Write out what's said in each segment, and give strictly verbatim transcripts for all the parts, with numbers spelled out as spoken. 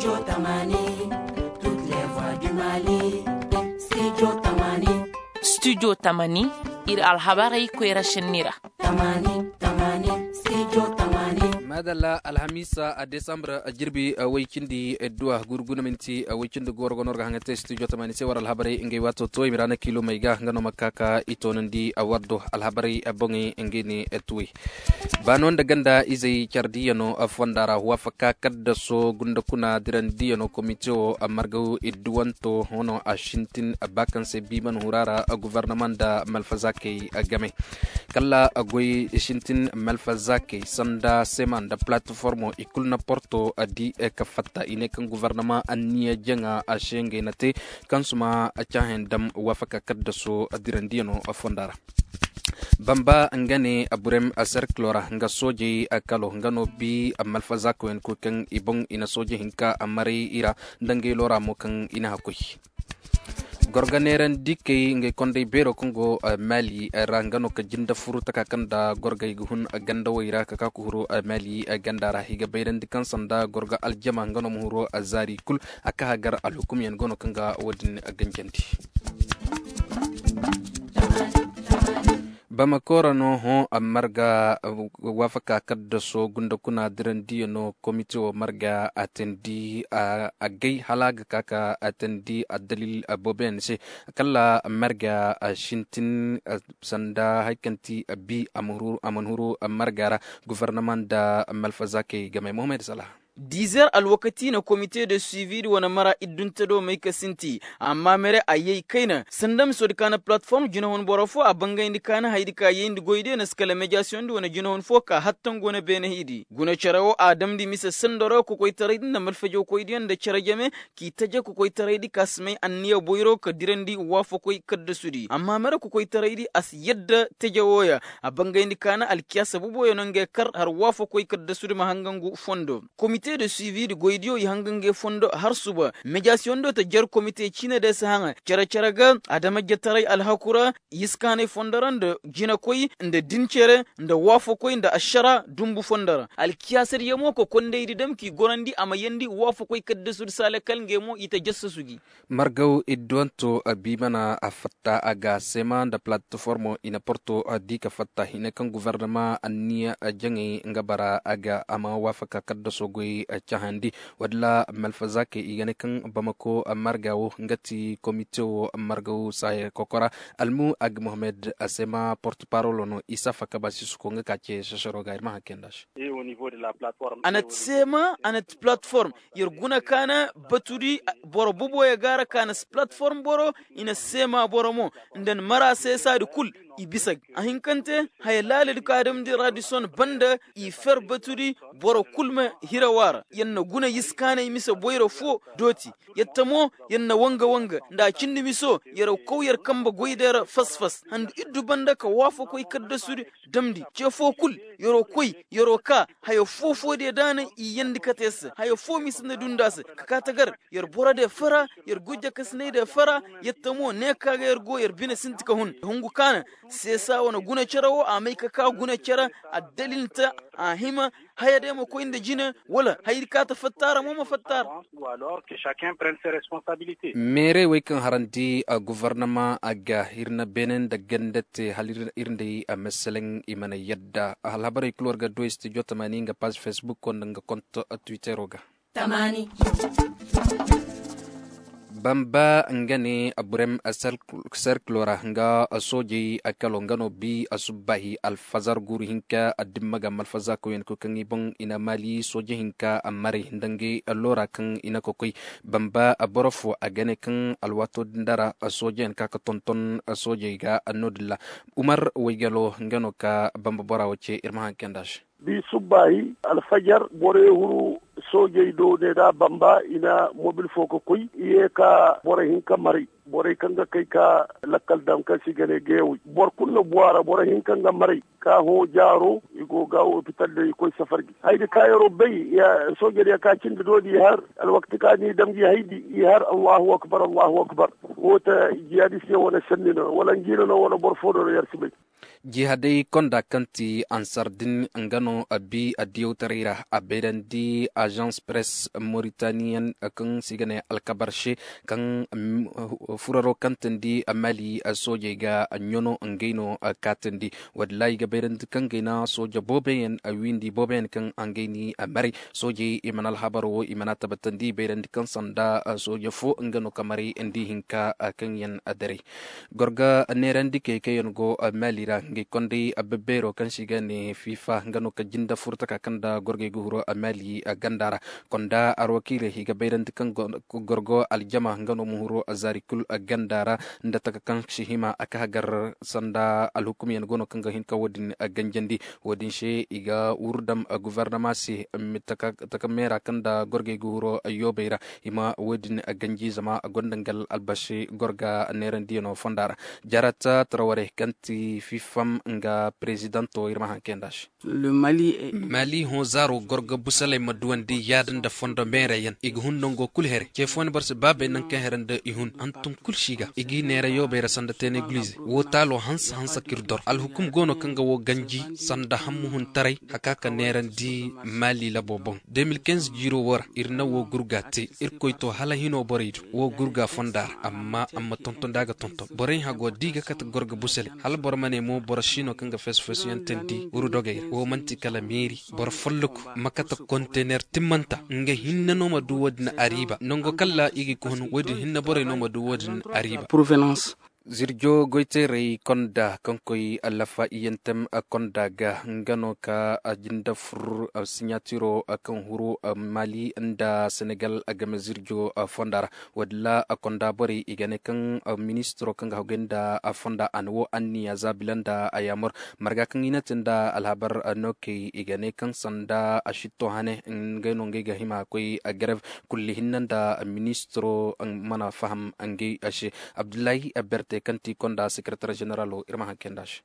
Studio tamani, ir alhabarey koyra šenni ra. Madalla, alhamiisa a desambur jirbi woy cindi duwa gurguna minti woy cindi gooro ga no ir ga haŋa te studio tamani se war alhabarey ngey waato to i ma ra na kiilomey ga nga no ma ka ka i toonandi war do alhabarey boŋey ngey ne tuwey. Baano nda ganda izey care diiyano fonda ra waafaka kaddaso gunda kuna dirandiiyano komite wo margaw idduwanto hono a sintin ba kaŋ se biiman hura ra guvarnama nda malfazaakey game. Kala goy sintin malfazaakey sanda sema nda platformo i kulu na porto di ka fatta i ne kaŋ guvarnama anniya jaŋa a se ngey na te kaŋ suma caahen dam waafaka kaddaso dirandiiyano fonda ra. Bamba nga ne a burem a serkilo ra nga soojey kalo nga no bi malfazakoyen koy kaŋ i boŋ i na sooje hinka a maray i ra nda ngey loora mo kaŋ i na hakoy. Gorga neerandi kay ngey kondey beero kaŋ go mali ra nga no ka jinde furu taka kaŋ nda gorgey ga hun gandawey ra ka ka ka huru mali ganda ra i ga bayrandi kaŋ sanda gorga aljama nga no ma huru zaari kul a ka hagar alhukumyaŋ go no kaŋ ga wo-din ganjandi. Bamako ra no hõ a marga waafaka kaddaso gunda kuna dirandiyaŋo komite wo marga a teendi a gay hala a ga ka ka a teendi addalil booboyaŋ se kala marga sintin sanda hari kaŋ ti bi a mana huru marga ra. Gufarnama nda malfazaakey game mohamed sala. Dizer alwakati na komite de suivi di wane mara iddunte do may ka sinti amma mere a yay kayna sanda miso di kaana platform jinahun boro fo a bangayndi kaana haydi ka yayndi goydiyo na si kala mediyasiyoŋ di wane jinahun fo ka hattan go na beene hiidi guna cere wo a damndi mise sandoro kokoytaray di nda malfajawkoydiyo nda cere jame k'i taje kokoytaray di ka si may anniya boyro ka dirandi waafakoy kaddasudi amma mere kokoytaray di a si yadda taje wooya a bangayndi kaana alkiyaasa boboyo no ngey kar har waafakoy kaddasudi ma hanga ngu fondo. Komite de suivi di goydiyo i hanga ngey fondo har suba mejasiyoŋ do ta jer komite ciine de si haŋa cere-cere ga adamajetaray alhaku ra yiskaanay fondo ra nda jinakoy nda dincere nda waafakoy nda ašara dumbu fondo ra alkiyaasadiyo mo ka kondaydi dam k'i gorandi a ma yandi waafakoy kaddasudi saale kala ngey mo i ta jassasu gi. Margaw idduwanto biimana a fatta a ga seema nda platformo i na porto di ka fatta hine kaŋ guvernama anniya jaŋay nga bara a ga a ma waafaka kaddaso goy cahandi. Walla malfazaakey i ga ne kaŋ bamako marga wo nga ti komite wo margaw saaye kokora almu ag mohamed a seema porte parolo no isa fakaba sisuko nga ka ce sesero ga ir ma hakke nda se. A na ti seema a na ti platform yer guna kaana batudi boro boboyo gaara kaana si platform boro i na seema boro mo nda ni mara seesaadi kul i bisa ga a hinkante haya laaladi ka damndi radison banda i fer batudi boro kul ma hira waara yer na guna yiskaanay mise boyro fo dooti yer ta mo yer na wanga wanga nda a cindi miso yer kaw yer kambe goyday ra fas fas handu iddu banda ka waafakoy kaddasudi damndi ce foo kul yer'o koy yer'o kaa haya foo-foo diya daanay i yeendi kate se haya foo mise nda dunda se ka kaa tagar yer boro diya fara yer gujakasinay diya fara yer ta mo ne ka ga yer go yer bine sinti ka hun hungu kaana seesa wane guna cere wo a may ka kaa guna cere addalil nta a hima haya day ma koy nda jine wala hayadi ka ta fatta ra mo ma fatta ra. Meerey wey kaŋ harandi guvarnama a ga ir na beene nda ganda te hala ir nda i a meseleŋ i mana yadda alhabarey kul war ga du studio tamani nga paz facebook nda nga konto twittero ga. Bamba nga ne burem serkilo ra nga soojey kalo nga no bi a subbaahi alfazar guuru hinka addimma ga malfazaakawyaŋ koy kaŋ i boŋ i na maali sooje hinka a maray nda ngey loora kaŋ i na ka koy. Bamba boro fo a ga ne kaŋ alwaato din da ra soojeyaŋ ka ka tonton soojey ga no-din ra. Umar waygalo nga no ka bamba bora wo ce ir ma haŋ kay nda se. Bi subbaahi alfajar borey huru soojey do ne da bamba i na mobil fo ka koy i ye ka boro hinka maray borey kaŋ ga kay ka lakkal daŋ kaŋ se i ga ne geewey boro kulu na bu a ra boro hinka nga maray ka hõ jaaro i go ga opital do i koy safar gi haydi ka yer'o bay soojey diya ka cindi do di i har alwakati ka ni dam gi haydi i har allahu akbar allahu akbar. Wo ta jihadist yaŋ wane sanni no wala njiina no wala boro fo do no yer si bay. Jihaday konda kaŋ ti ansar din nga no a bi a diyawtaray ra a bayrandi azans press moritaniyan kaŋ se i ga ne alkabar se kaŋ furaro kaŋ tindi mali soojey ga ɲano ngey no kaatindi. Wallaahi ga bayrandi kaŋ gay na sooja booboyaŋ windi booboyaŋ kaŋ ngey ni maray soojey i mana alhabaro wo i mana tabatandi bayrandi kaŋ sanda sooja fo nga no ka maray nda i hinka kaŋ yaŋ daray. Gorga neerandi kay kaŋ yaŋ go mali ra ngey konday abbebeero kaŋ se i ga ne fifa nga no ka jinda furtaka kaŋ nda gorgey ga huru mali ganda ra. Konda arwakiiley i ga bayrandi kaŋ gorgo aljama nga no ma huru zaari kul ganda ra nda taka kaŋ si hima a ka hagar sanda alhukumyaŋ go no kaŋ ga hin ka wo-din ganjandi. Wo-din se i ga wurdam gofornama se taka meera kaŋ nda gorgey ga huru yoobey ra i ma wo-din ganji zama a gonda nga albasi gorga neerandiyano fonda ra. Jarata taraware kaŋ ti fifam nga perezidanto ir ma haŋ kay nda se. Mali hõ zaaro gorga busaley ma duwandi yaada nda fondo meerayaŋ i ga hun nango kulu here ce fo ni boro si baabey naŋ kaŋ here nda i hun hantum kulu si ga i g'i neera yoobey ra sanda teenay gulize wo taalo hanse hanse k'ir dor alhukum go no kaŋ ga wo ganji sanda hammuhuntaray haka ka neerandi mali labo boŋ. De mil kinze jiiro wo ra ir na wo gurga te irkoy to hala hino borey do wo gurga fonda ra amma a ma tonton da a ga tonton borey hago da i ga kate gorga busaley hala boro ma ne mo boro si no kaŋ ga fesu fesuyaŋ teendi wurdogey ra wo man'ti kala meeri boro folloku ma kate kontener timmanta nga hinne no ma du wo-din ariiba nango kaŋ ra i ga i kohon wo-din hinne borey no ma du wo-din ariiba. Zirjo goyteerey konda kaŋ koy lafa iyantem konda ga nga no ka a jinda fur siɲatiro kaŋ huru mali nda senegal game zirjo fonda ra. Wadilla konda borey i ga ne kaŋ ministiro kaŋ ga hagay nda fonda a na wo anniya za bila nda a yaamar marga kaŋ i na te nda alhabar no kay i ga ne kaŋ sanda a sitto hane ngey no ngey ga hima koy garev kulli hinne nda ministiro mana faham ngey se. Abdullahi berte kaŋ ti konda sekeretar ženeralo ir ma haŋ kay nda se.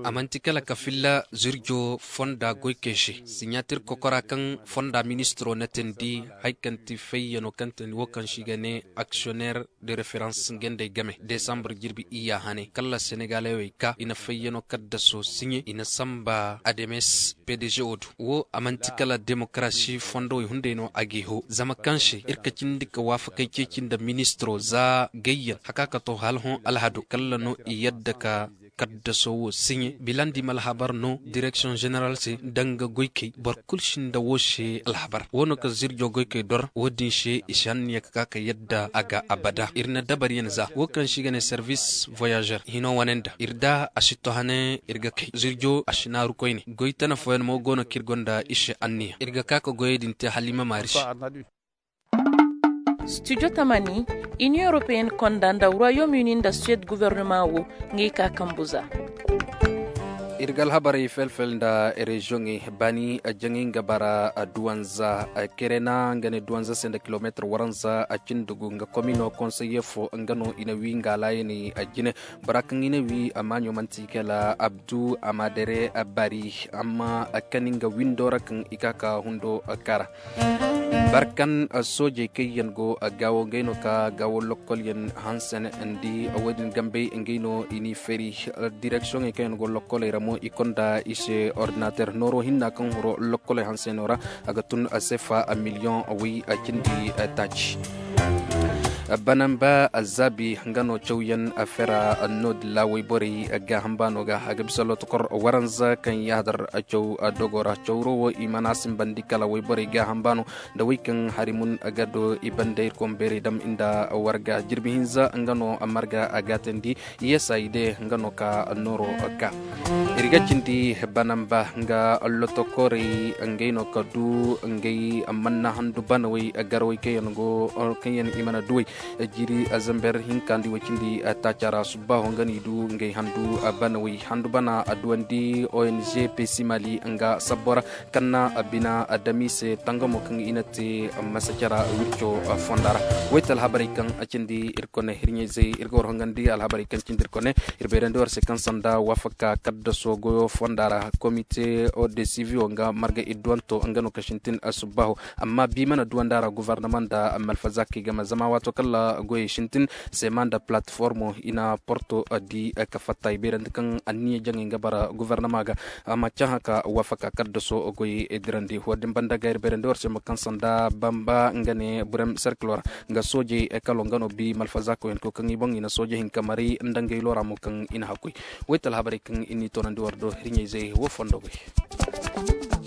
A man'ti kala ka filla zirjo fonda goykey se siɲatir kokora kaŋ fonda ministiro na teendi hari kaŋ ti fayyano kaŋ teendi wo kaŋ se i ga ne aksiyoner de referans ngey nd'ey game desambur jirbi iyya hane kala senegalewey ka i na fayyano kaddaso siɲe i na samba ademes pdg wo du wo a man'ti kala demokarasi fondowey hunday no a g'i ho zama kaŋ se ir ka cindi ka waafakey ceeci nda ministiro za gayyan haka ka to hala hõ alhado kala no i yadda ka kaddaso wo siɲe bilandi ma alhabar no direksiyoŋ ženeral se danga goykey boro kulu sinda wo se alhabar wo no ka zirjo goykey dor wo-din se i si hanniya ka ka ka yadda a ga abada ir na dabaryaŋ za wo kaŋ se i ga ne servis voyager hino wane nda ir da a si to hane ir ga kay zirjo a si naaru koyne goy tana fooyaŋ mo go no kaŋ ir gonda i se anniya ir ga ka ka goyey din te hala i ma maari se. Studio tamani, iniyoŋ europeyenne konda nda ruwayom uni nda suwed gubernama wo, ngey ka kambu za. Ir ga alhabarey felfel nda reziyoŋey baani jaŋay nga bara duwanza kerena nga ne duwanza se nda kilomeetir waranza a cindi gu nga komino konseye fo nga no i na wi nga alaayaney jine. Bora kaŋ i na wi a maaɲo manti kala abdu amadere bari amma kani nga windo ra kaŋ i ka ka hundo kara. Barkan soojey kaŋ yaŋ go gaawo ngey no ka gaawo lokkolyaŋ hanse ne ndi wo-din gambey ngey no i n'i feeri direksiyoŋey kaŋ yaŋ go lokkoley ra mo i konda i se ordinater nooro hinna kaŋ huro lokkoley hanse no ra. A ga tun sefa miliyoŋ way cindi taaci. Banamba zaabi nga no cawyaŋ fera no-din ra wayborey gaaham baano ga a ga bisa lotokor waranza kaŋ yaadar caw dogo ra cawro wo i mana simbandi kala wayborey gaaham baano nda wey kaŋ hari mun ga do i banda ir koŋ beerey dam nda warga jirbi hinza nga no marga a gaatandi. Yesa i de nga no ka nooro ka ir ga cindi banamba nga lotokorey ngey no ka du ngey manna handu banawey garawey kaŋ yaŋ go kaŋ yaŋ i mana duwey. Jiri zamber hinka nda i way cindi taaca ra subbaho nga no i du ngey handu banawey handu bana a duwandi ong pesimali nga sabbo ra kaŋ na bina adami se tangamo kaŋ i na te masacara wirco fonda ra. Wayte alhabarey kaŋ a cindi ir kone hirɲayzey ir ga war hongandi alhabarey kaŋ cindi ir kone ir bayrandi war se kaŋ sanda wafaka kaddaso goyo fonda ra komite de siviyo nga marga idduwanto nga no ka sintin subbaho. Amma bi mana duwanda ra guvarnama nda malfazakey game zama waato Goyey sintin sema nda palatiformo i na porto di ka fatta i beerandi kaŋ anniya jaŋay nga bara guvernama ga. Amma cahã ka wafaka kaddaso goyey dirandi wo-din banda ga ir beerandi war se ma kaŋ sanda bamba nga ne burem serkilo ra nga soojey kalo nga no bi malfazakoyaŋ ko kaŋ i boŋ i na sooje hinka maray nda ngey lora mo kaŋ i na hakkoy. Wayta alhabarey kaŋ i n'i toonandi war do hirɲey zey wo fondo goy.